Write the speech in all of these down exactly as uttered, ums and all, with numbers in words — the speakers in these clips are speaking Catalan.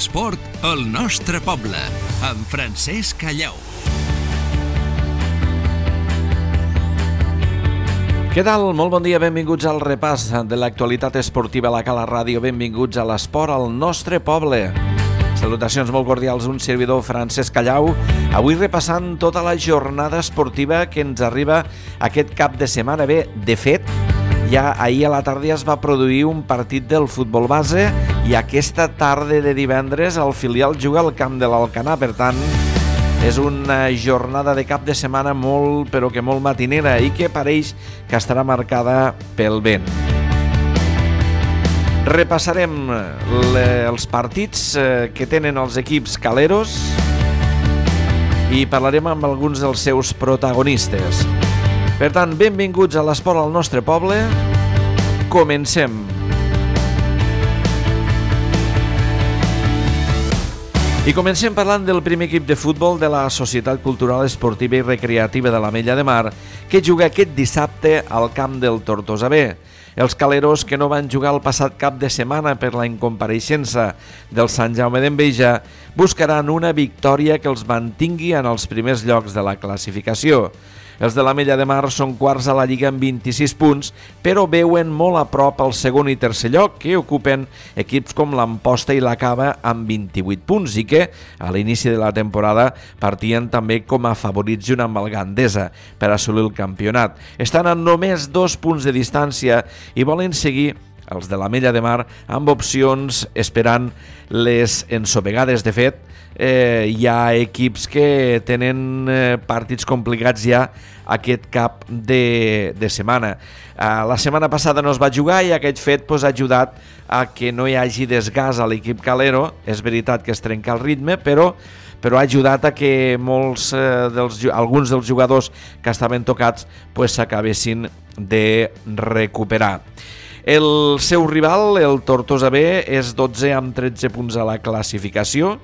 L'esport al nostre poble, amb Francesc Callau. Què tal? Molt bon dia, benvinguts al repàs de l'actualitat esportiva a la Cala Ràdio. Benvinguts a l'esport al nostre poble. Salutacions molt cordials, un servidor, Francesc Callau. Avui repassant tota la jornada esportiva que ens arriba aquest cap de setmana. Bé, de fet, ja ahir a la tarda es va produir un partit del futbol base i aquesta tarda de divendres el filial juga al camp de l'Alcanar. Per tant, és una jornada de cap de setmana molt, però que molt matinera i que pareix que estarà marcada pel vent. Repassarem els partits que tenen els equips caleros i parlarem amb alguns dels seus protagonistes. Per tant, benvinguts a l'esport al nostre poble. Comencem. I comencem parlant del primer equip de futbol de la Societat Cultural Esportiva i Recreativa de l'Ametlla de Mar, que juga aquest dissabte al camp del Tortosa B. Els caleros, que no van jugar el passat cap de setmana per la incompareixença del Sant Jaume d'Enveja, buscaran una victòria que els mantingui en els primers llocs de la classificació. Els de l'Ametlla de Mar són quarts a la Lliga amb vint-i-sis punts, però veuen molt a prop el segon i tercer lloc, que ocupen equips com l'Amposta i la Cava amb vint-i-vuit punts i que, a l'inici de la temporada, partien també com a favorits junt amb el Gandesa per assolir el campionat. Estan a només dos punts de distància i volen seguir els de l'Ametlla de Mar amb opcions esperant les ensopegades. De fet, eh, hi ha equips que tenen eh, partits complicats ja aquest cap de, de setmana. Eh, la setmana passada no es va jugar i aquest fet pues, ha ajudat a que no hi hagi desgast a l'equip calero. És veritat que es trenca el ritme, però però ha ajudat a que molts eh, dels, alguns dels jugadors que estaven tocats pues, s'acabessin de recuperar. El seu rival, el Tortosa B, és dotze amb tretze punts a la classificació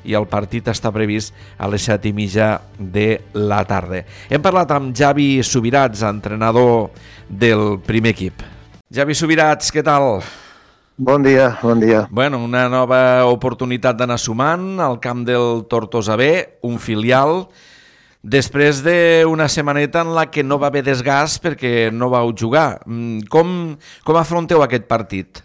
i el partit està previst a les set i mitja de la tarda. Hem parlat amb Javi Subirats, entrenador del primer equip. Javi Subirats, què tal? Bon dia, bon dia. Bueno, una nova oportunitat d'anar sumant al camp del Tortosa B, un filial, després d'una setmaneta en la que no va haver desgast perquè no vau jugar. Com, com afronteu aquest partit?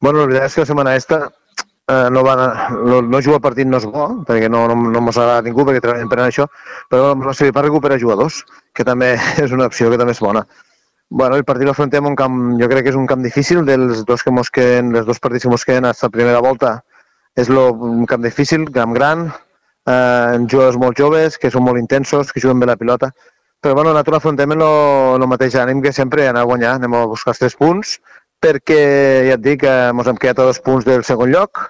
Bueno, la veritat és que la setmana esta eh, no, va, no, no jugar el partit no és bo, perquè no, no, no mos agrada ningú, perquè treballem per això, però ens va servir per recuperar jugadors, que també és una opció que també és bona. Bueno, el partit l'afrontem un camp, jo crec que és un camp difícil, dels dos que mos queden, els dos partits que mos queden fins a la primera volta, és lo, un camp difícil, camp gran, Eh, jugadors molt joves, que són molt intensos, que juguen bé la pilota, però bueno, nosaltres afrontem el, el mateix ànim que sempre, anar a guanyar, anem a buscar els tres punts, perquè ja et dic que ens hem quedat a dos punts del segon lloc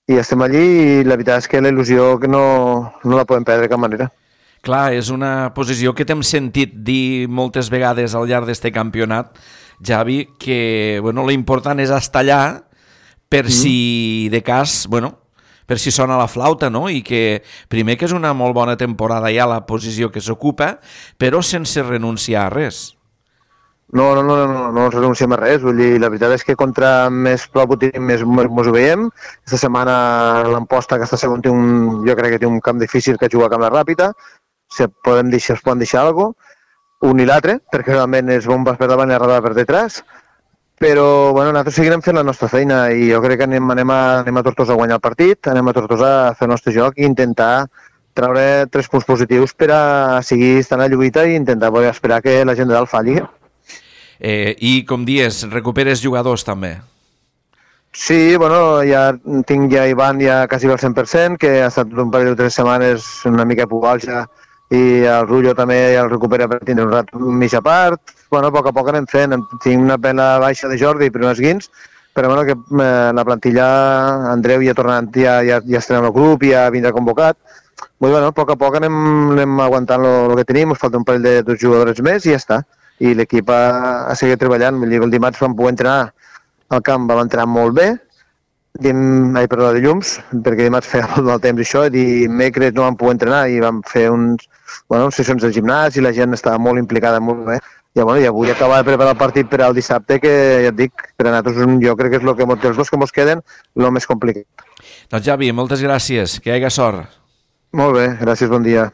i estem allí i la veritat és que la il·lusió que no, no la podem perdre de cap manera. Clar, és una posició que t'hem sentit dir moltes vegades al llarg d'aquest campionat, Javi, que bueno, l'important és estar allà per mm. si de cas, bueno, per si sona la flauta, no? I que primer que és una molt bona temporada ja la posició que s'ocupa, però sense renunciar a res. No, no, no, no, no ens renunciem a res. Vull dir, la veritat és que contra més prop ho tenim, més mos ho veiem. Aquesta setmana l'Amposta, aquesta segon, té un, jo crec que té un camp difícil que juga a camp ràpida. Si podem deixar, es poden deixar alguna cosa, un i l'altre, perquè realment és bombes per davant i arrada per detrás. Però bueno, nosaltres seguirem fent la nostra feina i jo crec que anem, anem, a, anem a Tortosa a guanyar el partit, anem a Tortosa a fer el nostre joc i intentar treure tres punts positius per a seguir estant a la lluita i intentar poder esperar que la gent de dalt falli. Eh, I com dius, recuperes jugadors també? Sí, bueno, ja tinc ja Ivan ja quasi al cent per cent, que ha estat un parell de tres setmanes una mica pubalja i el Rullo també ja el recupera per tindre un rat mitja part. Bueno, a poc a poc anem fent. Tinc una pena baixa de Jordi per unes guins, però bueno, que eh, la plantilla, Andreu ja tornant, ja, ja, ja estarà en el grup, ja vindrà convocat. Bueno, a poc a poc anem, anem aguantant el que tenim, ens falta un parell de dos jugadors més i ja està. I l'equip ha, ha seguit treballant. Vull dir, el dimarts vam poder entrenar al camp, vam entrenar molt bé, Dim, ai, perdó, de llums, perquè dimarts feia molt mal temps això, i dimecres no vam poder entrenar i vam fer uns, bueno, sessions de gimnàs i la gent estava molt implicada, molt bé, I, bueno, i avui acabar de preparar el partit per al dissabte, que ja et dic, per a nosaltres jo crec que és el que els dos que ens queden el més complicat. Doncs Javi, moltes gràcies, que hi hagi sort. Molt bé, gràcies, bon dia.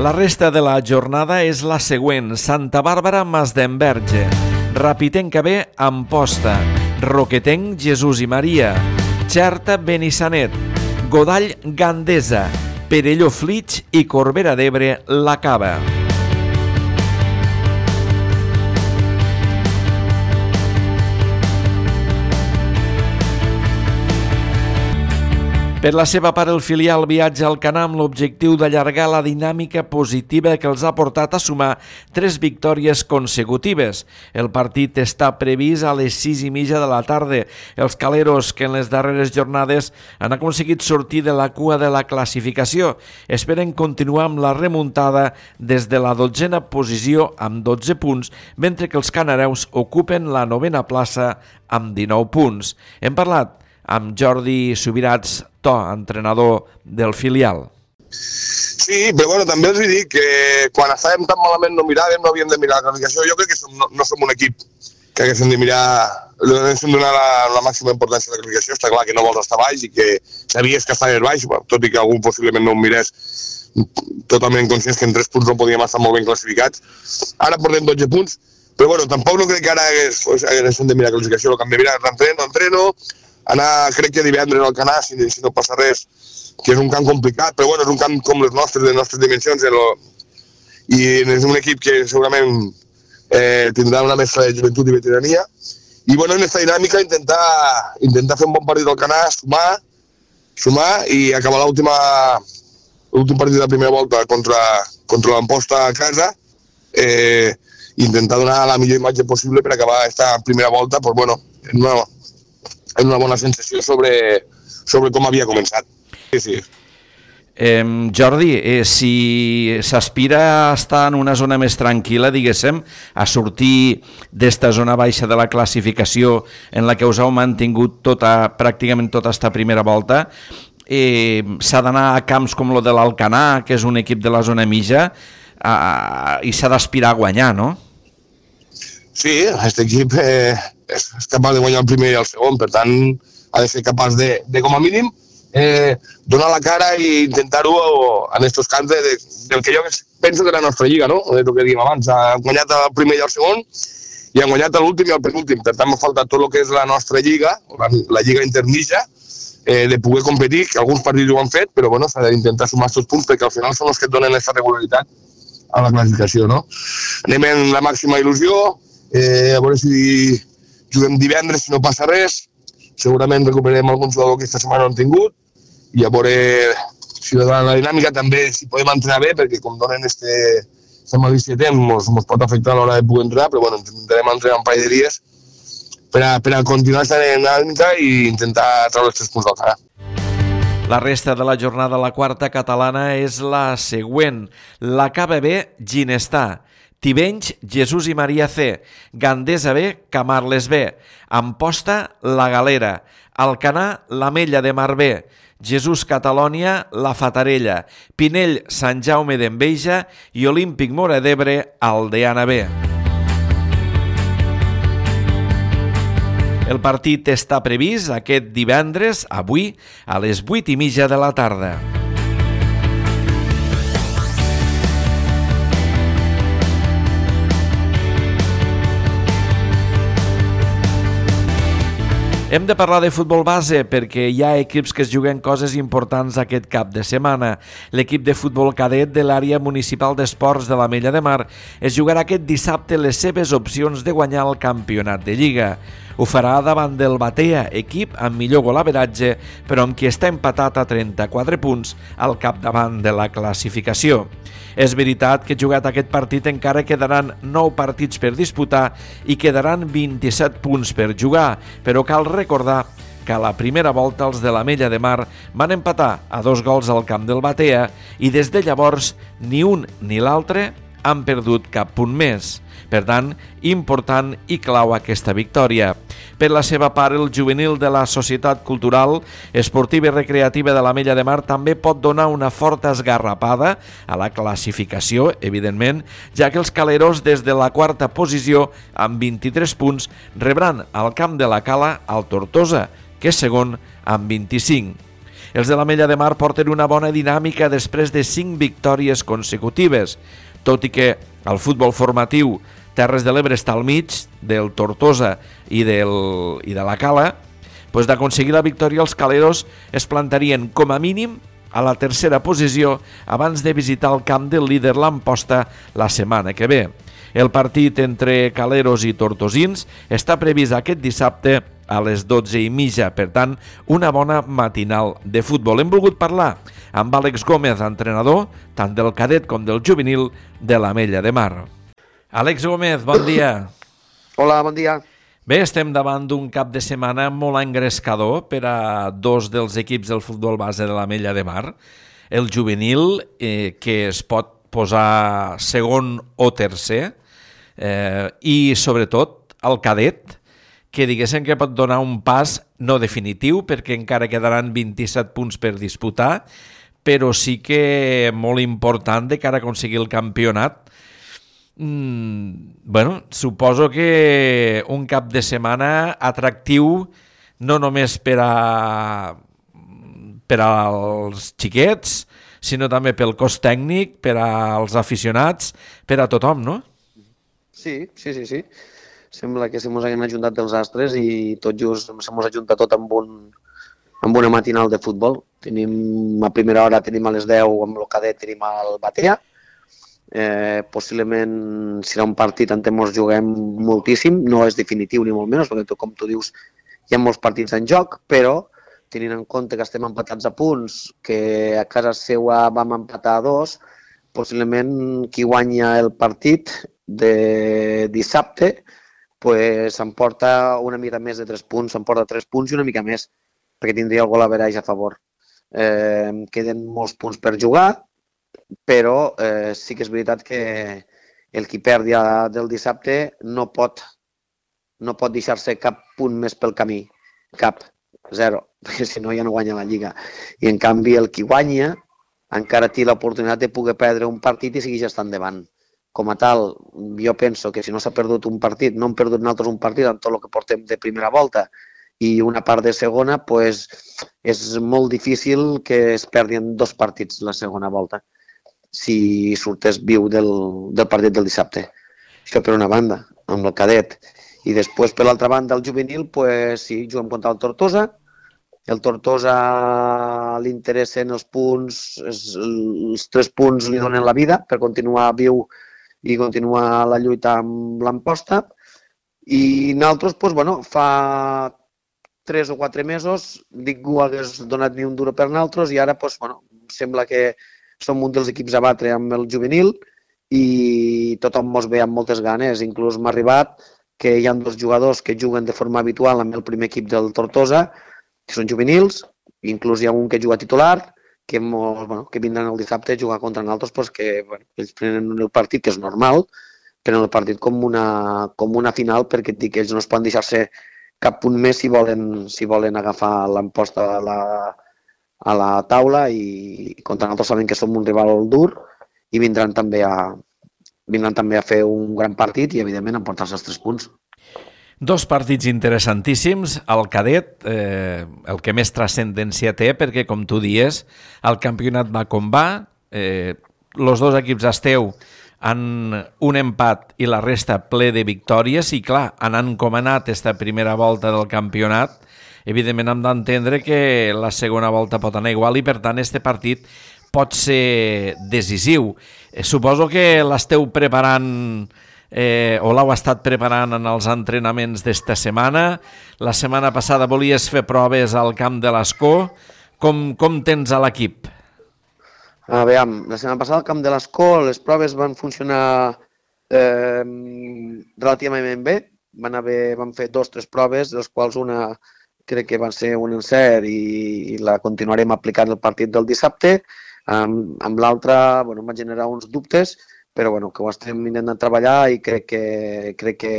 La resta de la jornada és la següent: Santa Bàrbara, Masdenverge, Rapitenca B, Amposta, Roquetenc, Jesús i Maria, Xerta, Benissanet, Godall, Gandesa, Perelló, Flix i Corbera d'Ebre, La Cava. Per la seva part, el filial viatja al Canà amb l'objectiu d'allargar la dinàmica positiva que els ha portat a sumar tres victòries consecutives. El partit està previst a les sis i mitja de la tarda. Els caleros, que en les darreres jornades han aconseguit sortir de la cua de la classificació, esperen continuar amb la remuntada des de la dotzena posició amb dotze punts, mentre que els canareus ocupen la novena plaça amb dinou punts. Hem parlat amb Jordi Subirats, To, entrenador del filial. Sí, però bueno, també els dic que quan estàvem tan malament no miràvem, no havíem de mirar la classificació. Jo crec que som, no, no som un equip que haguéssim de mirar, haguéssim de donar la, la màxima importància a la classificació. Està clar que no vols estar baix i que sabies que estaves baix, tot i que algú possiblement no ho mirés, totalment conscients que en tres punts no podíem estar molt ben classificats. Ara portem dotze punts, però bueno, tampoc no crec que ara hagués, haguéssim de mirar la classificació. El que hem de mirar és l'entreno, entreno, anar, crec que divendres al Canà, si, si no passa res, que és un camp complicat, però bueno, és un camp com les nostres, de les nostres dimensions, el, i és un equip que segurament eh, tindrà una mescla de joventut i veterania, i bueno, en aquesta dinàmica intentar, intentar fer un bon partit al Canà, sumar, sumar i acabar l'última l'últim partit de la primera volta contra, contra l'Amposta a casa, eh, intentar donar la millor imatge possible per acabar aquesta primera volta, pues bueno, en una en una bona sensació sobre, sobre com havia començat. Sí, sí. Eh, Jordi, eh, si s'aspira a estar en una zona més tranquil·la, diguéssim, a sortir d'esta zona baixa de la classificació en la que us heu mantingut tota, pràcticament tota esta primera volta, eh, s'ha d'anar a camps com el de l'Alcanar, que és un equip de la zona mitja, eh, i s'ha d'aspirar a guanyar, no? Sí, aquest equip eh, és, és capaç de guanyar el primer i el segon, per tant ha de ser capaç de, de com a mínim, eh, donar la cara i intentar-ho en aquests camps de, de, del que jo penso que és la nostra lliga, no? De el que dèiem abans, han guanyat el primer i el segon i han guanyat l'últim i el penúltim, per tant m'ha faltat tot el que és la nostra lliga, la, la lliga intermitja, eh, de poder competir, que alguns partits ho han fet, però bueno, s'ha d'intentar sumar aquests punts perquè al final són els que et donen aquesta regularitat a la classificació, no? Anem en la màxima il·lusió, Eh, a veure si juguem divendres, si no passa res, segurament recuperarem algun jugador que aquesta setmana no han tingut i a veure si la, la dinàmica també, si podem entrenar bé, perquè com donen este, este malícia de temps, ens pot afectar a l'hora de poder entrar, però bueno, intentarem entrenar un parell de dies per a, per a continuar aquesta dinàmica i intentar treure els tres punts del Canà. La resta de la jornada, la quarta catalana, és la següent. La Cava B, Ginestà, Tivenys, Jesús i Maria C, Gandesa B, Camarles B, Amposta, La Galera, Alcanar, l'Ametlla de Mar B, Jesús Catalònia, La Fatarella, Pinell, Sant Jaume d'Enveja i Olímpic Móra d'Ebre, Aldeana B. El partit està previst aquest divendres, avui, a les vuit i mitja de la tarda. Hem de parlar de futbol base perquè hi ha equips que es juguen coses importants aquest cap de setmana. L'equip de futbol cadet de l'àrea municipal d'esports de l'Ametlla de Mar es jugarà aquest dissabte les seves opcions de guanyar el campionat de Lliga. Ho farà davant del Batea, equip amb millor golaveratge, però amb qui està empatat a trenta-quatre punts al capdavant de la classificació. És veritat que jugat aquest partit encara quedaran nou partits per disputar i quedaran vint-i-set punts per jugar, però cal recordar que a la primera volta els de l'Ametlla de Mar van empatar a dos gols al camp del Batea i des de llavors ni un ni l'altre han perdut cap punt més. Per tant, important i clau aquesta victòria. Per la seva part, el juvenil de la Societat Cultural, Esportiva i Recreativa de l'Ametlla de Mar també pot donar una forta esgarrapada a la classificació, evidentment, ja que els caleros des de la quarta posició, amb vint-i-tres punts, rebran al camp de la Cala al Tortosa, que és segon amb vint-i-cinc. Els de l'Ametlla de Mar porten una bona dinàmica després de cinc victòries consecutives, tot i que el futbol formatiu Terres de l'Ebre està al mig del Tortosa i, del, i de la Cala, doncs d'aconseguir la victòria els caleros es plantarien com a mínim a la tercera posició abans de visitar el camp del líder l'Amposta la setmana que ve. El partit entre caleros i tortosins està previst aquest dissabte a les dotze i mitja, per tant, una bona matinal de futbol. Hem volgut parlar amb Àlex Gómez, entrenador, tant del cadet com del juvenil de l'Ametlla de Mar. Àlex Gómez, bon dia. Hola, bon dia. Bé, estem davant d'un cap de setmana molt engrescador per a dos dels equips del futbol base de l'Ametlla de Mar. El juvenil, eh, que es pot posar segon o tercer, eh, i sobretot el cadet, que diguéssim que pot donar un pas no definitiu, perquè encara quedaran vint-i-set punts per disputar, però sí que molt important de cara a aconseguir el campionat. Mm, bueno, suposo que un cap de setmana atractiu no només per a per als xiquets, sinó també pel cos tècnic, per als aficionats, per a tothom, no? Sí, sí, sí, sí. Sembla que se mos hagin ajuntat els astres i tot just se mos ajunta tot amb, un, amb una matinal de futbol. Tenim, a primera hora tenim a les deu amb el cadet, tenim el Batea. Eh, possiblement serà un partit en què ens juguem moltíssim, no és definitiu ni molt menys, perquè com tu dius hi ha molts partits en joc, però tenint en compte que estem empatats a punts, que a casa seva vam empatar a dos, possiblement qui guanya el partit de dissabte pues, s'emporta una mica més de tres punts, s'emporta tres punts i una mica més, perquè tindria el gol average a favor. Eh, queden molts punts per jugar, però eh, sí que és veritat que el qui perdi del dissabte no pot, no pot deixar-se cap punt més pel camí, cap, zero, perquè si no ja no guanya la Lliga. I en canvi el qui guanya encara té l'oportunitat de poder perdre un partit i seguir estant endavant. Com a tal, jo penso que si no s'ha perdut un partit, no hem perdut nosaltres un partit en tot el que portem de primera volta i una part de segona, pues, és molt difícil que es perdin dos partits la segona volta si sortés viu del, del partit del dissabte. Això per una banda, amb el cadet. I després, per l'altra banda, el juvenil, pues, sí, juguem contra el Tortosa. El Tortosa li interessen els punts, els tres punts li donen la vida per continuar viu i continuar la lluita amb l'Amposta. I nosaltres, pues, bueno, fa tres o quatre mesos ningú hagués donat ni un duro per nosaltres i ara pues, bueno, sembla que som un dels equips a batre amb el juvenil i tothom mos ve amb moltes ganes. Inclús m'ha arribat que hi ha dos jugadors que juguen de forma habitual amb el primer equip del Tortosa, que són juvenils, inclús hi ha un que juga titular, que, mos, bueno, que vindran el dissabte a jugar contra nosaltres, pues que bueno, ells prenen el partit, que és normal, prenen el partit com una, com una final, perquè dic, ells no es poden deixar-se cap punt més si volen, si volen agafar l'Amposta a la, a la taula i contra nosaltres saben que som un rival dur i vindran també a, vindran també a fer un gran partit i, evidentment, a emportar-se els tres punts. Dos partits interessantíssims. El cadet, eh, el que més transcendència té, perquè, com tu dies, el campionat va com va, eh, els dos equips esteu en un empat i la resta ple de victòries i, clar, anant com ha anat aquesta primera volta del campionat, evidentment hem d'entendre que la segona volta pot anar igual i, per tant, este partit pot ser decisiu. Eh, suposo que l'esteu preparant eh, o l'heu estat preparant en els entrenaments d'esta setmana. La setmana passada volies fer proves al camp de l'Escó. Com, com tens a l'equip? A veure, la setmana passada al camp de l'Escó les proves van funcionar eh, relativament bé. Van, haver, van fer dos o tres proves, de les quals una crec que va ser un encert i, i la continuarem aplicant el partit del dissabte. Amb, amb l'altra bueno, va generar uns dubtes, però bueno, que ho estem intentant treballar i crec que, crec que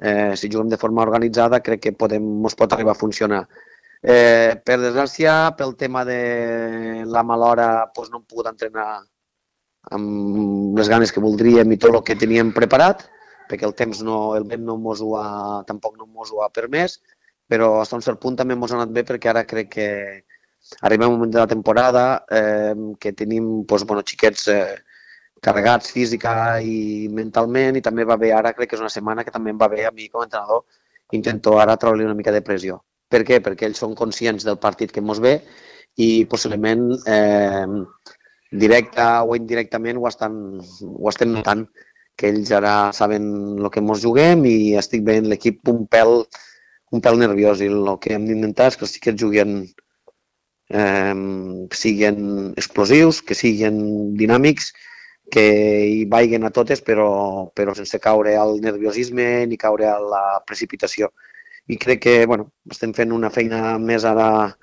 eh, si juguem de forma organitzada crec que podem, ens pot arribar a funcionar. Eh, per desgràcia, pel tema de la mala hora, doncs no hem pogut entrenar amb les ganes que voldríem i tot el que teníem preparat, perquè el temps no, el vent no mos ho ha, tampoc no mos ho ha permès, però fins a un cert punt també mos ha anat bé perquè ara crec que arribem a un moment de la temporada eh, que tenim doncs, bueno, xiquets eh, carregats física i mentalment i també va bé ara, crec que és una setmana que també em va bé a mi com a entrenador, intento ara treure-li una mica de pressió. Per què? Perquè ells són conscients del partit que mos ve i possiblement eh, directa o indirectament ho, estan, ho estem notant, que ells ara saben el que mos juguem i estic veient l'equip un pèl, un pèl nerviós i el que hem d'intentar és que els xiquets juguen, eh, siguin explosius, que siguin dinàmics, que hi vaiguen a totes però, però sense caure al nerviosisme ni caure a la precipitació. I crec que bueno, estem fent una feina més ara,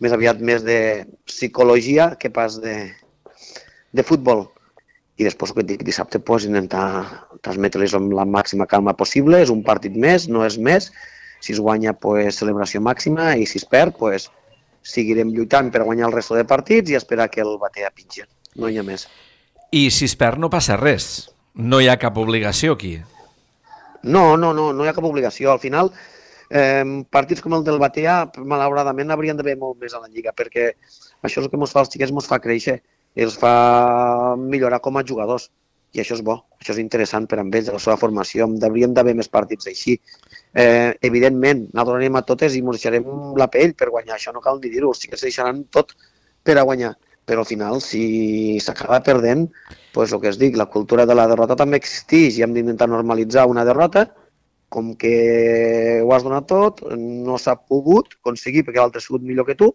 més aviat més de psicologia que pas de, de futbol. I després, el que et dic, dissabte pues, intentar transmetre-les amb la màxima calma possible. És un partit més, no és més. Si es guanya, pues, celebració màxima, i si es perd, pues, seguirem lluitant per guanyar el resto de partits i esperar que el batea pitgi. No hi ha més. I si es perd no passa res. No hi ha cap obligació aquí. No, no, no, no hi ha cap obligació. Al final, eh, partits com el del Batea, malauradament, haurien d'haver molt més a la Lliga, perquè això és el que ens fa als xiquets, ens fa créixer, els fa millorar com a jugadors. I això és bo, això és interessant per a ells, la seva formació. Hauríem d'haver més partits així. Eh, evidentment, nosaltres anem a totes i ens deixarem la pell per guanyar, això no cal ni dir-ho, els xiquets deixaran tot per a guanyar. Però al final, si s'acaba perdent, doncs el que es dic, la cultura de la derrota també existeix i hem d'intentar normalitzar una derrota, com que ho has donat tot, no s'ha pogut aconseguir perquè l'altre ha sigut millor que tu,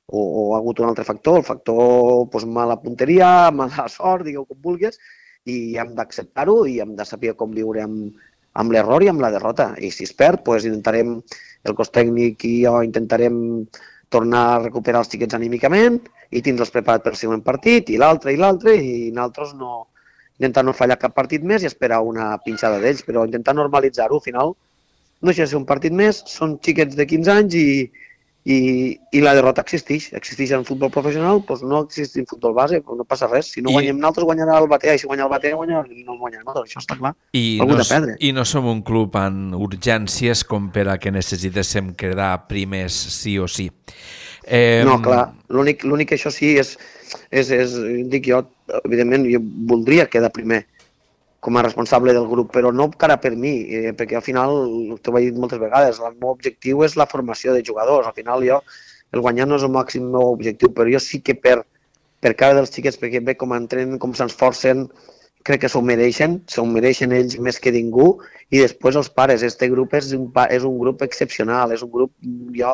o, o ha hagut un altre factor, el factor doncs, mala punteria, mala sort, digueu com vulguis, i hem d'acceptar-ho i hem de saber com viure amb, amb l'error i amb la derrota. I si es perd, doncs intentarem, el cos tècnic i jo intentarem tornar a recuperar els xiquets anímicament i tindre'ls preparat per al següent partit, i l'altre, i l'altre, i nosaltres no, intentar no fallar cap partit més i esperar una pinxada d'ells, però intentar normalitzar-ho, al final no deixa de ser un partit més, són xiquets de quinze anys i, i, i la derrota existeix, existeix en futbol professional, doncs no existeix en futbol base, doncs no passa res, si no I... guanyem nosaltres guanyarà el Batea, i si guanya el Batea guanyarà, no guanyarem nosaltres, això està clar, I algú no, de perdre. I no som un club amb urgències com per a que necessitéssim quedar primers sí o sí. Eh... No, clar, l'únic l'únic que això sí és, és, és, dic jo, evidentment, jo voldria quedar primer com a responsable del grup, però no cara per mi, eh, perquè al final, t'ho he dit moltes vegades, el meu objectiu és la formació de jugadors, al final jo, el guanyar no és el màxim meu objectiu, però jo sí que per, per cara dels xiquets, perquè ve com entrenen, com s'esforcen, crec que s'ho mereixen, s'ho mereixen ells més que ningú, i després els pares, este grup és un, és un grup excepcional, és un grup, jo,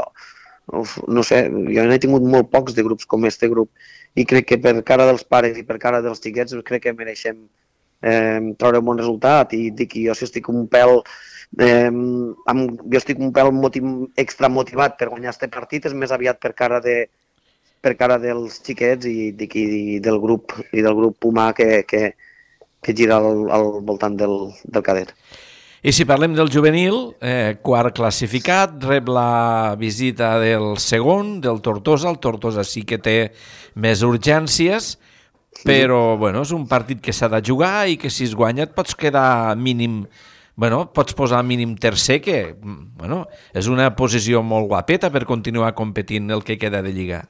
no sé, jo n'he tingut molt pocs de grups com este grup, i crec que per cara dels pares i per cara dels xiquets crec que mereixem eh, treure un bon resultat, i dic que jo si estic un pèl eh, amb, jo estic un pèl motiv, extra motivat per guanyar este partit, és més aviat per cara de per cara dels xiquets i, dic, i del grup i del grup humà que, que, que gira al, al voltant del, del cadet. I si parlem del juvenil, eh, quart classificat, rep la visita del segon, del Tortosa. El Tortosa sí que té més urgències, però bueno, és un partit que s'ha de jugar i que si es guanya et pots quedar mínim, bueno, pots posar mínim tercer, que bueno, és una posició molt guapeta per continuar competint el que queda de Lliga.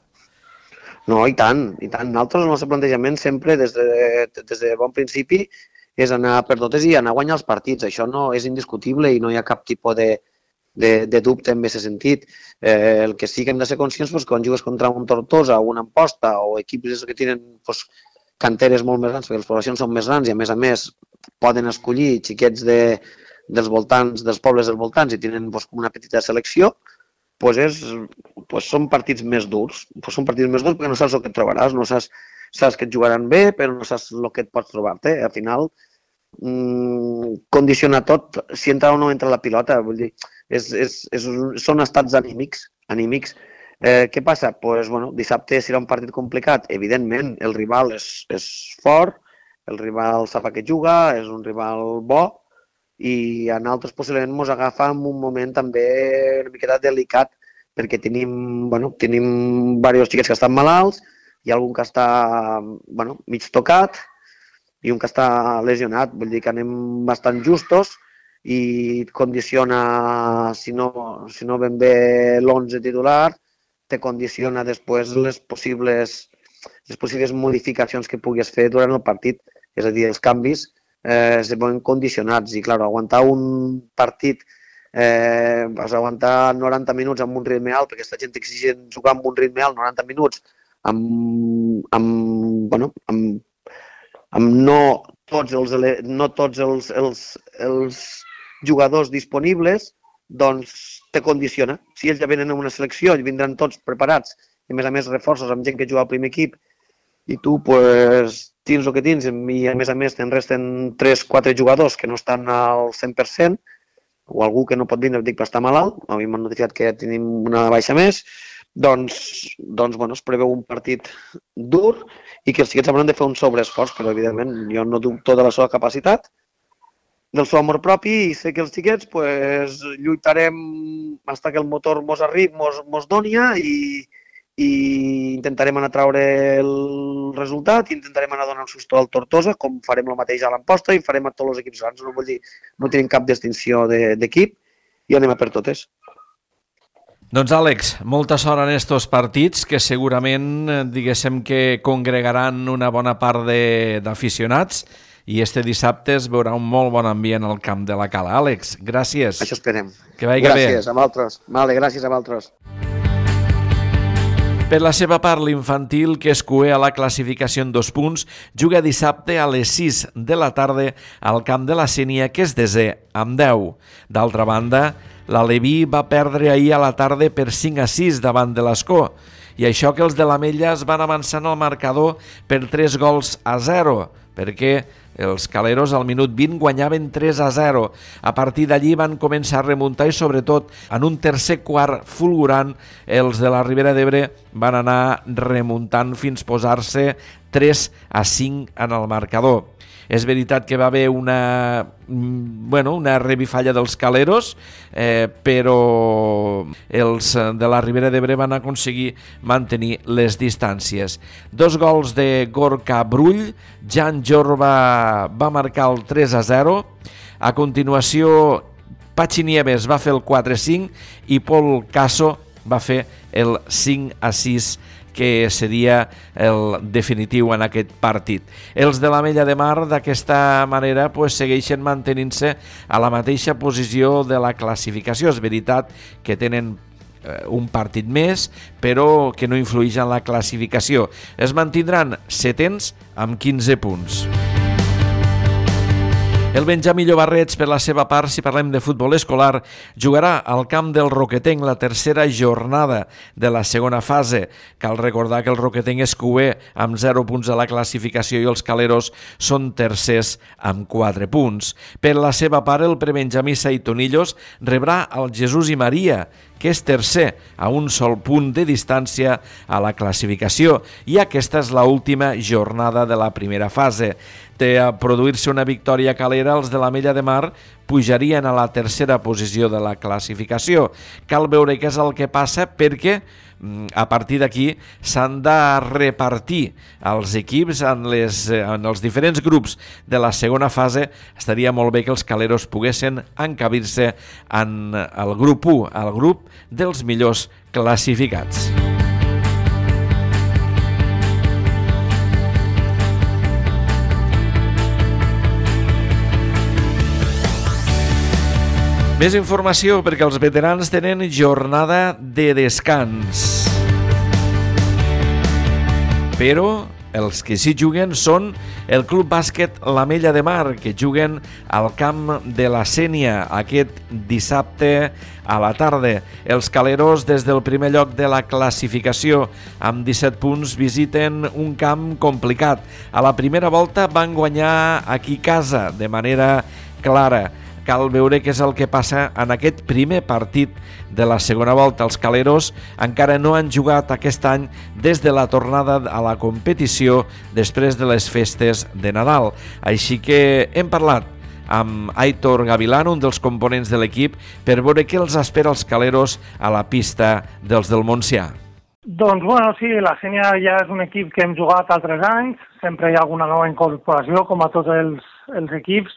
No, i tant, i tant. Nosaltres el nostre plantejament sempre, des de, des de bon principi, és anar per totes i anar a guanyar els partits. Això no és indiscutible i no hi ha cap tipus de, de, de dubte en aquest sentit. Eh, el que sí que hem de ser conscients és doncs, que quan jugues contra un Tortosa o una Amposta o equips que tenen doncs, canteres molt més grans, perquè les poblacions són més grans i a més a més poden escollir xiquets de, dels voltants, dels pobles dels voltants i tenen doncs, una petita selecció, doncs és, doncs són partits més durs. Doncs són partits més durs perquè no saps el que et trobaràs, no saps saps que et jugaran bé, però no saps el que et pots trobar-te. Al final, mmm, condiciona tot si entra o no entra la pilota. Vull dir, és, és, és, són estats anímics. anímics. Eh, què passa? Pues, bueno, dissabte serà un partit complicat. Evidentment, el rival és, és fort, el rival sap a què juga, és un rival bo, i a nosaltres possiblement ens agafa en un moment també una miqueta delicat, perquè tenim, bueno, tenim diversos xiquets que estan malalts, hi ha algun que està bueno, mig tocat i un que està lesionat, vull dir que anem bastant justos i condiciona, si no, si no ben bé l'onze titular, te condiciona després les possibles, les possibles modificacions que puguis fer durant el partit, és a dir, els canvis eh, se veuen condicionats i, clar, aguantar un partit Eh, vas aguantar noranta minuts amb un ritme alt, perquè aquesta gent exigent jugar amb un ritme alt noranta minuts amb, amb, bueno, amb, amb no tots els, no tots els, els, els jugadors disponibles, doncs te condiciona. Si ells ja venen a una selecció i vindran tots preparats, i a més a més reforços amb gent que juga al primer equip, i tu pues, tens el que tens, i a més a més te'n resten tres quatre jugadors que no estan al cent per cent, o algú que no pot vindre, dic, per estar malalt, a mi m'han notificat que tenim una baixa més, doncs, doncs bueno, es preveu un partit dur i que els xiquets hauran de fer un sobreesforç, però evidentment jo no dubto de la seva capacitat, del seu amor propi, i sé que els xiquets pues, lluitarem fins que el motor mos arribi, mos, mos doni i, i intentarem anar a traure el resultat i intentarem anar a donar un susto al Tortosa, com farem el mateix a l'Amposta i farem a tots els equips grans. No vull dir, no tenim cap distinció d'equip i anem a per totes. Doncs Àlex, molta sort en estos partits que segurament diguéssim que congregaran una bona part d'aficionats i este dissabte es veurà un molt bon ambient al camp de la Cala. Àlex, gràcies. Això esperem. Que vagi bé. Gràcies a vosaltres. Vale, gràcies a vosaltres. Per la seva part, l'infantil, que es cué a la classificació en dos punts, juga dissabte a les sis de la tarda al camp de la Sénia, que és desè, amb deu. D'altra banda, l'Aleví va perdre ahir a la tarda per cinc a sis davant de l'Escó, i això que els de l'Ametlla es van avançar en el marcador per tres gols a zero, perquè els caleros al minut vint guanyaven tres a zero. A partir d'allí van començar a remuntar i sobretot en un tercer quart fulgurant els de la Ribera d'Ebre van anar remuntant fins posar-se tres a cinc en el marcador. És veritat que va haver una, bueno, una revifalla dels caleros, eh, però els de la Ribera d'Ebre van aconseguir mantenir les distàncies. Dos gols de Gorka Brull, Jan Jorba va marcar el tres a zero, a continuació Pachi Nieves va fer el quatre a cinc i Pol Caso va fer el cinc a sis, que seria el definitiu en aquest partit. Els de l'Ametlla de Mar d'aquesta manera pues, segueixen mantenint-se a la mateixa posició de la classificació. És veritat que tenen eh, un partit més, però que no influeix en la classificació. Es mantindran setens amb quinze punts. El Benjamí Llobarrets, per la seva part, si parlem de futbol escolar, jugarà al camp del Roquetenc la tercera jornada de la segona fase. Cal recordar que el Roquetenc és cué amb zero punts a la classificació i els caleros són tercers amb quatre punts. Per la seva part, el prebenjamí Saitonillos rebrà el Jesús i Maria, que és tercer a un sol punt de distància a la classificació, i aquesta és l'última jornada de la primera fase. De produir-se una victòria calera, els de l'Ametlla de Mar pujarien a la tercera posició de la classificació. Cal veure què és el que passa perquè a partir d'aquí s'han de repartir els equips en, les, en els diferents grups de la segona fase. Estaria molt bé que els caleros poguessin encabir-se en el grup u, el grup dels millors classificats. Més informació perquè els veterans tenen jornada de descans. Però els que sí juguen són el Club Bàsquet l'Ametlla de Mar, que juguen al camp de la Sénia aquest dissabte a la tarda. Els caleros, des del primer lloc de la classificació, amb disset punts, visiten un camp complicat. A la primera volta van guanyar aquí a casa de manera clara. cal veure què és el que passa en aquest primer partit de la segona volta. Els caleros encara no han jugat aquest any des de la tornada a la competició després de les festes de Nadal. Així que hem parlat amb Aitor Gavilán, un dels components de l'equip, per veure què els espera els caleros a la pista dels del Montsià. Doncs, bueno, sí, la Sénia ja és un equip que hem jugat altres anys, sempre hi ha alguna nova incorporació, com a tots els, els equips.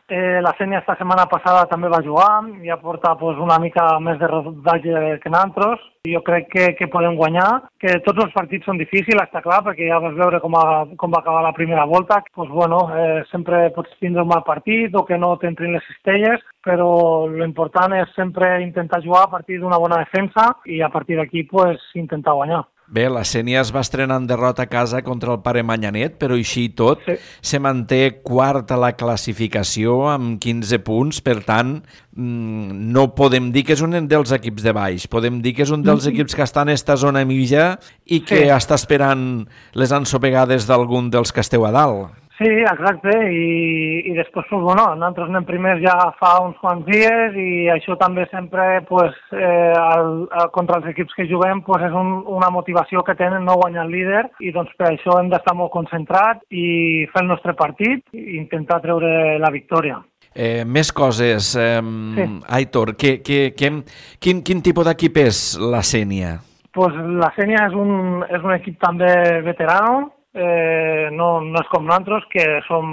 Eh, la Sénia esta setmana passada també va jugar, ja porta pues, una mica més de rodatge que nosaltres. Jo crec que, que podem guanyar, que tots els partits són difícils, està clar, perquè ja vas veure com, a, com va acabar la primera volta. Pues, bueno, eh, sempre pots tindre un mal partit o que no t'entrin les cistelles, però l'important és sempre intentar jugar a partir d'una bona defensa i a partir d'aquí pues, intentar guanyar. Bé, la Sénia es va estrenar en derrota a casa contra el Pare Manyanet, però així i tot sí. Se manté quart a la classificació amb quinze punts, per tant, no podem dir que és un dels equips de baix, podem dir que és un dels equips que està en esta zona mitja i que sí. Està esperant les ensopegades d'algun dels que esteu a dalt. Sí, exacte, i, i després, pues, bueno, nosaltres anem primers ja fa uns quants dies i això també sempre, pues, eh, el, el, contra els equips que juguem, pues, és un, una motivació que tenen no guanyar el líder i doncs per això hem d'estar molt concentrats i fer el nostre partit i intentar treure la victòria. Eh, més coses, eh, sí. Aitor, que, que, que, quin, quin tipus d'equip és la Sénia? Pues la Sénia és un, és un equip també veterano, Eh, no, no és com nosaltres, que som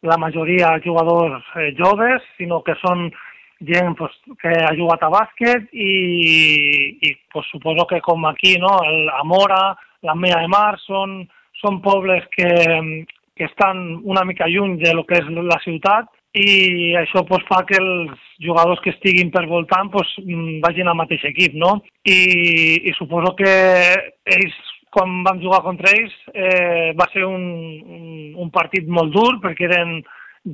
la majoria jugadors eh, joves, sinó que són gent pues, que ha jugat a bàsquet i, i pues, suposo que com aquí, no? El Amora, la Mella de Mar, són, són pobles que, que estan una mica lluny de lo que és la ciutat i això pues, fa que els jugadors que estiguin per voltant pues, vagin al mateix equip, no? I, i suposo que ells quan vam jugar contra ells eh, va ser un, un, un partit molt dur perquè eren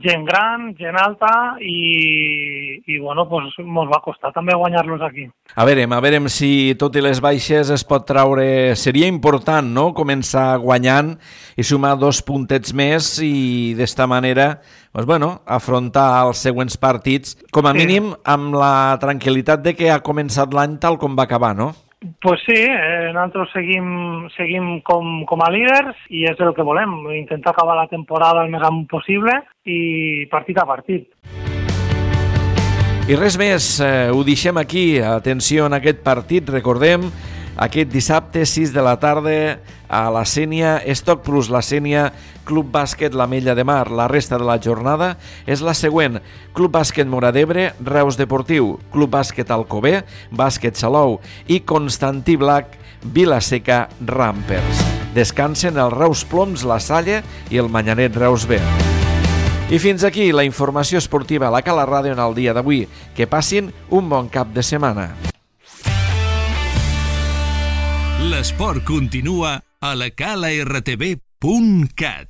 gent gran, gent alta i, i bueno, pues, mos va costar també guanyar-los aquí. A veure, a veure si tot i les baixes es pot traure... Seria important, no?, començar guanyant i sumar dos puntets més i d'esta manera, pues, bueno, afrontar els següents partits, com a sí. mínim amb la tranquil·litat de que ha començat l'any tal com va acabar, no? Pues sí, eh, nosaltres seguim, seguim com, com a líders i és el que volem, intentar acabar la temporada el més amunt possible i partit a partit. I res més, eh, ho deixem aquí. Atenció en aquest partit, recordem, aquest dissabte, sis de la tarda, a la Sénia, Estoc Plus La Sénia, Club Bàsquet La Mella de Mar. La resta de la jornada és la següent: Club Bàsquet Móra d'Ebre, Reus Deportiu, Club Bàsquet Alcover, Bàsquet Salou i Constantí Blac, Vila-seca Rampers. Descansen els Reus Ploms La Salle i el Manyanet Reus B. I fins aquí la informació esportiva a la Cala Ràdio en el dia d'avui. Que passin un bon cap de setmana. L'esport continua a la cala r t v punt cat.